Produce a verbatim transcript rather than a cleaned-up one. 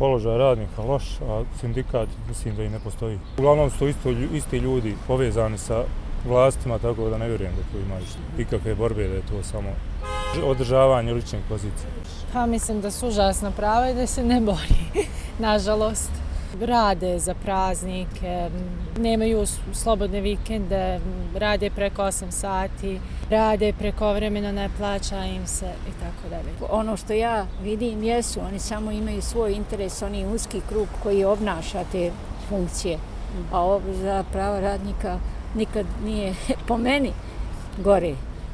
Položaj radnika loš, a sindikat mislim da i ne postoji. Uglavnom su isto, isti ljudi povezani sa vlastima, tako da ne vjerujem da tu ima ikakve borbe, da je to samo održavanje ličnih pozicija. Pa mislim da su užasna prava i da se ne bori, nažalost. Rade za praznike, nemaju slobodne vikende, rade preko osam sati, rade prekovremeno, ne plaća im se i tako dalje. Ono što ja vidim jesu, oni samo imaju svoj interes, oni uski krug koji obnaša te funkcije. A ovo za prava radnika nikad nije po meni gore.